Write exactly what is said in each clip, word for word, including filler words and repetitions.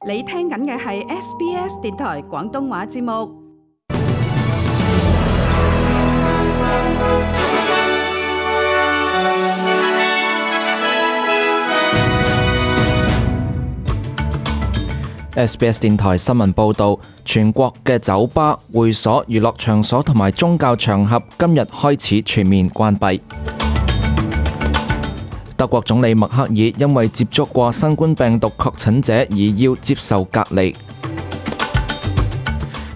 你聽緊嘅係 S B S 電台廣東話節目。S B S 電台新聞報導，全國嘅酒吧、會所、娛樂場所同埋宗教場合今日開始全面關閉。德國總理默克爾因為接觸過新冠病毒確診者而要接受隔離。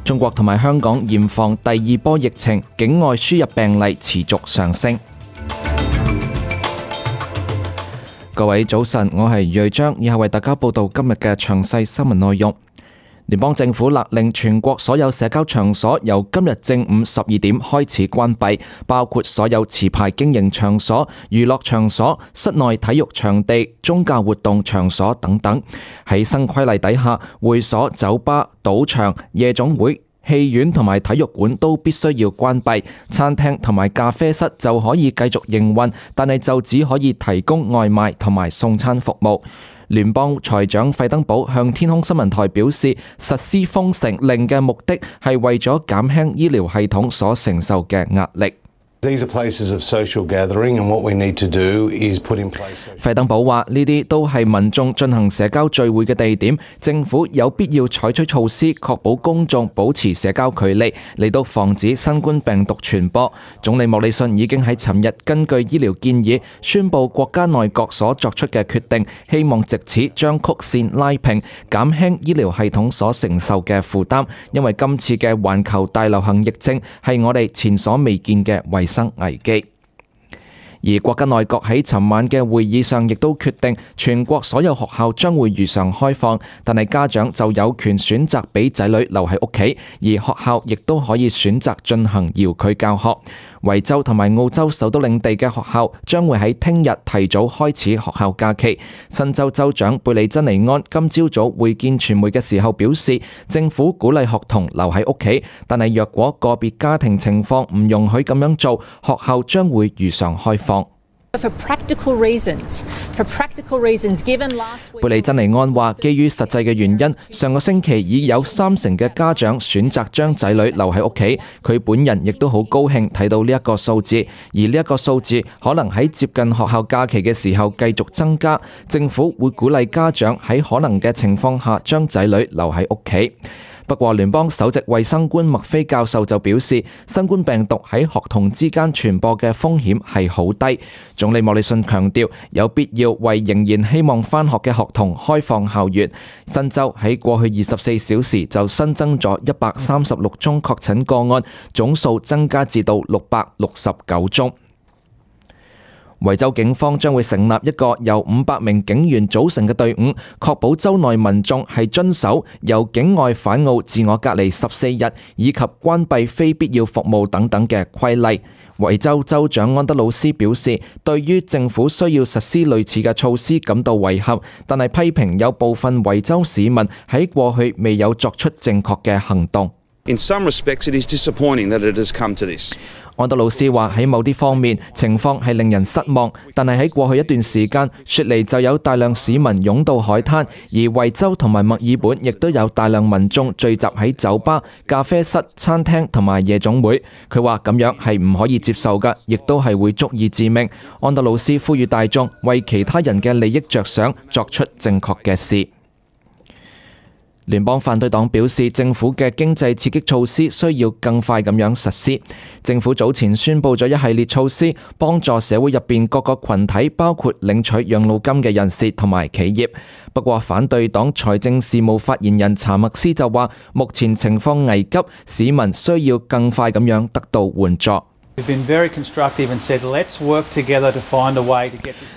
中國同埋香港嚴防第二波疫情，境外輸入病例持續上升。各位早晨，我係瑞章，以下為大家報道今日嘅詳細新聞內容。聯邦政府勒令全國所有社交場所由今日正午十二點開始關閉，包括所有持牌經營場所、娛樂場所、室內體育場地、宗教活動場所等等。喺新規例底下，會所、酒吧、賭場、夜總會、戲院同埋體育館都必須要關閉，餐廳同埋咖啡室就可以繼續營運，但係就只可以提供外賣同埋送餐服務。聯邦財長費登堡向天空新聞台表示，實施封城令嘅目的係為咗減輕醫療系統所承受嘅壓力。These are places of social gathering, and what we need to do is put in place. 費登堡話：呢啲都係民眾進行社交聚會嘅地點，政府有必要採取措施，確保公眾保持社交距離，嚟到防止新冠病毒傳播。總理莫里遜已經喺尋日根據醫療建議，宣布國家內閣所作出嘅決定，希望藉此將曲線拉平，減輕醫療系統所承受嘅負擔。因為今次嘅環球大流行疫症係我哋前所未見嘅衛生危機。而國家內閣喺尋晚嘅會議上亦都決定，全國所有學校將會如常開放，但係家長就有權選擇俾仔女留喺屋企，而學校亦都可以選擇進行遙距教學。維州同埋澳洲首都領地嘅學校將會喺聽日提早開始學校假期。新州州長貝利珍尼安今朝早會見傳媒嘅時候表示，政府鼓勵學童留喺屋企，但係若果個別家庭情況唔容許咁樣做，學校將會如常開放。For practical reasons, for practical reasons, given last week... 貝利珍尼安話，基於實際嘅原因，上個星期已有三成嘅家長選擇將仔女留喺屋企。佢本人亦都好高興睇到呢一個數字，而呢一個數字可能喺接近學校假期嘅時候繼續增加。政府會鼓勵家長喺可能嘅情況下將仔女留喺屋企。不過，聯邦首席衛生官麥菲教授就表示，新冠病毒喺學童之間傳播嘅風險係好低。總理莫里遜強調，有必要為仍然希望返學嘅學童開放校園。新州喺過去二十四小時就新增咗一百三十六宗確診個案，總數增加至到六百六十九宗。維州警方將會成立一個由五百名警員組成嘅隊伍，確保州內民眾係遵守由境外返澳自我隔離十四日以及關閉非必要服務等等嘅規例。維州州長安德魯斯表示，對於政府需要實施類似嘅措施感到遺憾，但係批評有部分維州市民喺過去未有作出正確嘅行動。In some respects, it is disappointing that it has come to this. 安德魯斯話喺某啲方面情況係令人失望，但係喺過去一段時間，雪梨就有大量市民湧到海灘，而維州同埋墨爾本亦都有大量民眾聚集喺酒吧、咖啡室、餐廳同埋夜總會。佢話咁樣係唔可以接受㗎，亦都係會足以致命。安德魯斯呼籲大眾為其他人嘅利益着想，作出正確嘅事。聯邦反對黨表示，政府嘅經濟刺激措施需要更快咁樣實施。政府早前宣布咗一系列措施，幫助社會入邊各個群體，包括領取養老金嘅人士同埋企業。不過，反對黨財政事務發言人查默斯就話，目前情況危急，市民需要更快咁樣得到援助。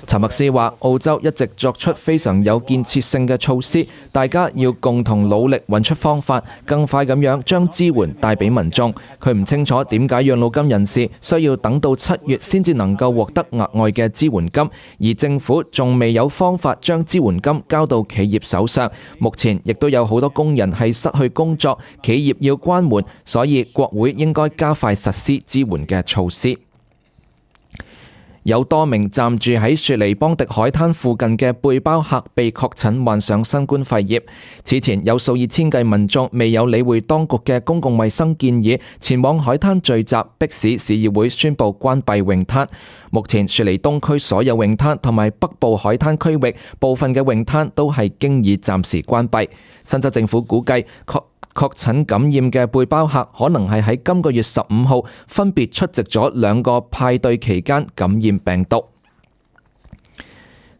查默斯話：澳洲一直作出非常有建設性嘅措施，大家要共同努力揾出方法，更快咁樣將支援帶俾民眾。佢唔清楚點解養老金人士需要等到七月先至能夠獲得額外嘅支援金，而政府仲未有方法將支援金交到企業手上。目前亦都有好多工人係失去工作，企業要關門，所以國會應該加快實施支援嘅措施。有多名暫住喺雪梨邦迪海灘附近嘅背包客被確診患上新冠肺炎。此前有數以千計民眾未有理會當局嘅公共衛生建議，前往海灘聚集，迫使市議會宣布關閉泳灘。目前雪梨東區所有泳灘同埋北部海灘區域部分嘅泳灘都係經已暫時關閉。新州政府估計確確診感染嘅背包客可能係喺今個月十五號分別出席咗兩個派對期間感染病毒。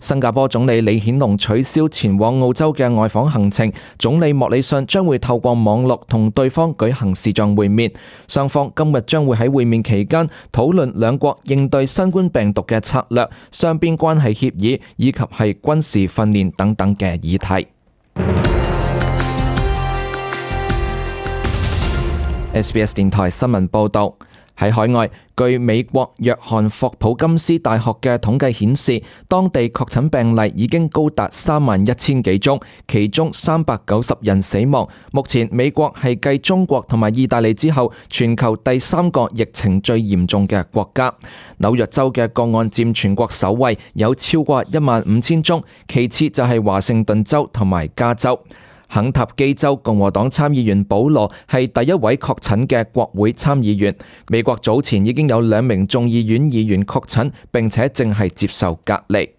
新加坡總理李顯龍取消前往澳洲嘅外訪行程，總理莫里遜將會透過網絡同對方舉行視像會面，雙方今日將會喺會面期間討論兩國應對新冠病毒嘅策略、雙邊關係協議以及係軍事訓練等等嘅議題。S B S 電台新聞報導，喺海外，據美國約翰霍普金斯大學嘅統計顯示，當地確診病例已經高達三萬一千幾宗，其中三百九十人死亡。目前美國係繼中國同埋意大利之後，全球第三個疫情最嚴重嘅國家。紐約州嘅個案佔全國首位，有超過一萬五千宗，其次就係華盛頓州同埋加州。肯塔基州共和黨參議員保羅係第一位確診嘅國會參議員。美國早前已經有兩名眾議院議員確診，並且正係接受隔離。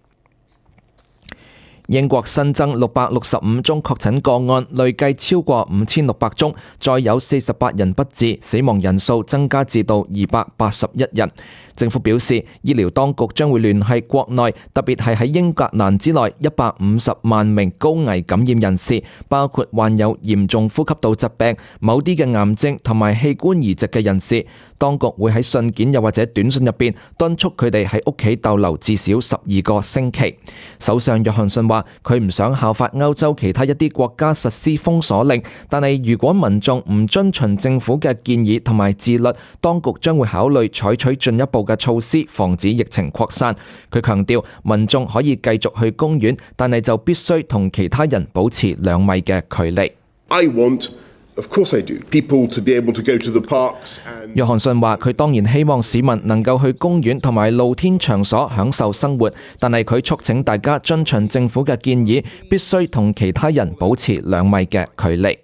英國新增六百六十五宗確診個案，累計超過五千六百宗，再有四十八人不治，死亡人數增加至到二百八十一人。政府表示，醫療當局將會聯繫國內，特別係喺英格蘭之內一百五十萬名高危感染人士，包括患有嚴重呼吸道疾病、某啲嘅癌症同埋器官移植嘅人士。當局會喺信件又或者短信入邊敦促佢哋喺屋企逗留至少十二個星期。首相約翰遜話：佢唔想效法歐洲其他一啲國家實施封鎖令，但係如果民眾唔遵循政府嘅建議同埋自律，當局將會考慮採取進一步嘅措施，防止疫情擴散。佢強調，民眾可以繼續去公園，但係就必須同其他人保持兩米嘅距離。I want Of course I do. People to be able to go to the parks and... 約翰遜話：佢當然希望市民能夠去公園同埋露天場所享受生活，但係佢促請大家遵循政府嘅建議，必須同其他人保持兩米嘅距離。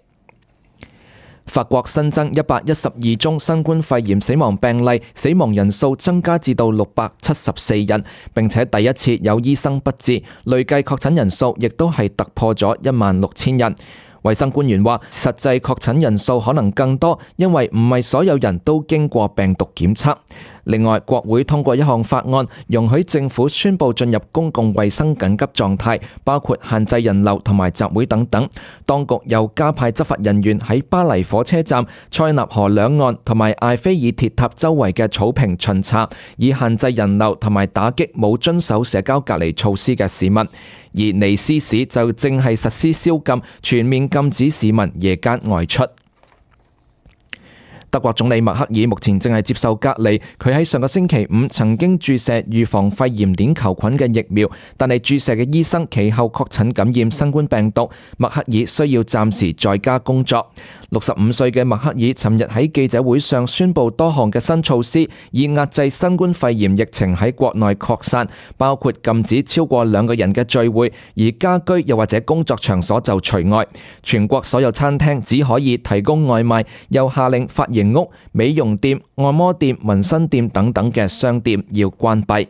法國新增一百一十二宗新冠肺炎死亡病例，死亡人數增加至到六百七十四人，並且第一次有醫生不治，累計確診人數亦都係突破咗一萬六千人。衛生官員話，實際確診人數可能更多，因為唔係所有人都經過病毒檢測。另外，國會通過一項法案，容許政府宣布進入公共衛生緊急狀態，包括限制人流同埋集會等等。當局又加派執法人員喺巴黎火車站、塞納河兩岸同埋艾菲爾鐵塔周圍嘅草坪巡查，以限制人流同埋打擊冇遵守社交隔離措施嘅市民。而尼斯市就正係實施宵禁，全面禁止市民夜間外出。德國總理默克爾目前正係接受隔離，佢喺上個星期五曾經注射預防肺炎鏈球菌嘅疫苗，但係注射嘅醫生其後確診感染新冠病毒，默克爾需要暫時在家工作。六十五歲嘅默克爾尋日喺記者會上宣布多項嘅新措施，以壓制新冠肺炎疫情喺國內擴散，包括禁止超過兩個人嘅聚會，而家居又或者工作場所就除外。全國所有餐廳只可以提供外賣，又下令髮型屋、美容店、按摩店、紋身店等等嘅商店要關閉。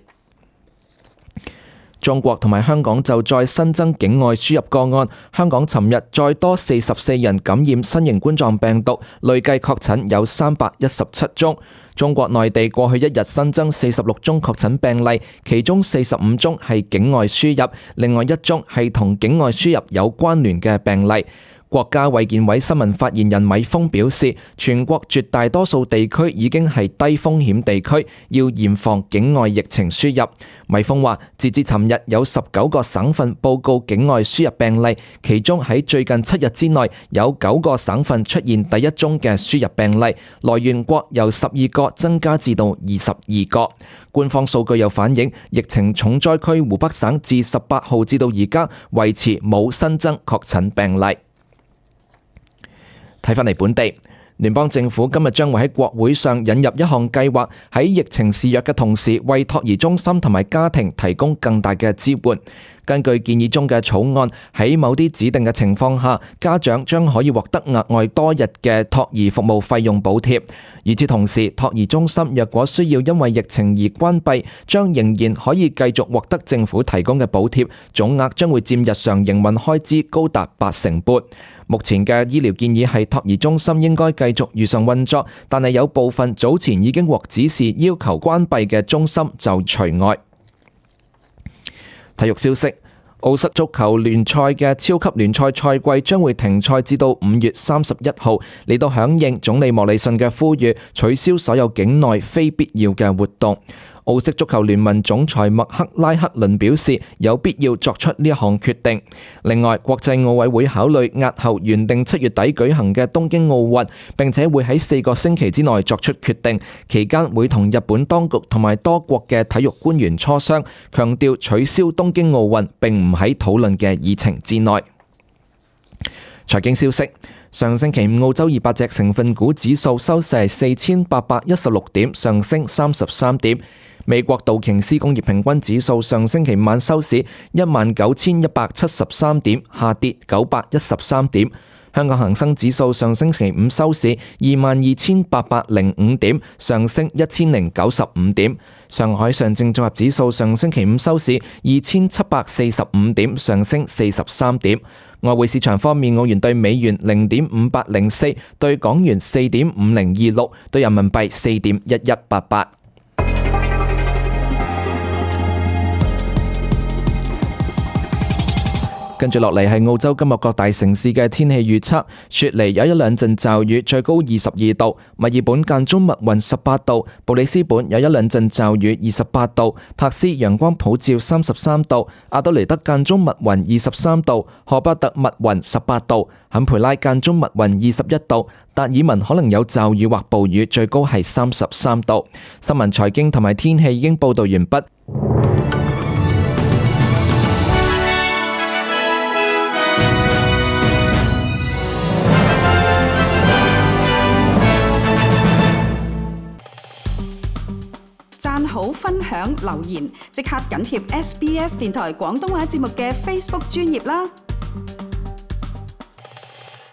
中國同埋香港就再新增境外輸入個案，香港尋日再多四十四人感染新型冠狀病毒，累計確診有三百一十七宗。中國內地過去一日新增四十六宗確診病例，其中四十五宗係境外輸入，另外一宗係同境外輸入有關聯嘅病例。國家衛健委新聞發言人米峰表示，全國絕大多數地區已經係低風險地區，要嚴防境外疫情輸入。米峰話，截至尋日有十九個省份報告境外輸入病例，其中喺最近七日之內有九個省份出現第一宗嘅輸入病例，來源國由十二個增加至到二十二個。官方數據又反映，疫情重災區湖北省自十八號至到而家維持冇新增確診病例。睇返嚟本地，聯邦政府今日將會喺國會上引入一項計劃，喺疫情肆虐嘅同時，為托兒中心同埋家庭提供更大嘅支援。根據建議中嘅草案，喺某啲指定嘅情況下，家長將可以獲得額外多日嘅托兒服務費用補貼。與此同時，托兒中心若果需要因為疫情而關閉，將仍然可以繼續獲得政府提供嘅補貼，總額將會佔日常營運開支高達八成半。目前嘅醫療建議係托兒中心應該繼續如常運作，但係有部分早前已經獲指示要求關閉嘅中心就除外。體育消息，澳式足球聯賽嘅超級聯賽賽季將會停賽至到五月三十一號，嚟到響應總理莫里遜嘅呼籲，取消所有境內非必要嘅活動。澳式足球聯盟總裁麥克拉克倫表示，有必要作出呢一項決定。另外，國際奧委會考慮押後原定七月底舉行嘅東京奧運，並且會喺四個星期之內作出決定。期間會同日本當局同埋多國嘅體育官員磋商，強調取消東京奧運並唔喺討論嘅議程之內。財經消息。上星期五，澳洲二百隻成分股指數收市係四千八百一十六點，上升三十三點。美國道瓊斯工業平均指數上星期五晚收市一萬九千一百七十三點，下跌九百一十三點。香港恒生指數上星期五收市二萬二千八百零五點，上升一千零九十五點。上海上證綜合指數上星期五收市二千七百四十五點，上升四十三點。外匯市場方面，澳元對美元零點五八零四，對港元四點五零二六，對人民幣四點一一八八。跟住落嚟係澳洲今日各大城市嘅天氣預測。雪梨有一兩陣驟雨，最高二十二度；墨爾本間中密雲十八度；布里斯本有一兩陣驟雨，二十八度；柏斯陽光普照三十三度；阿德雷德間中密雲二十三度；荷巴特密雲十八度；坎培拉間中密雲二十一度；達爾文可能有驟雨或暴雨，最高係三十三度。新聞財經同埋天氣已經報道完畢。讚好、分享、留言，即刻緊貼 S B S 電台廣東話節目嘅 Facebook 專頁啦！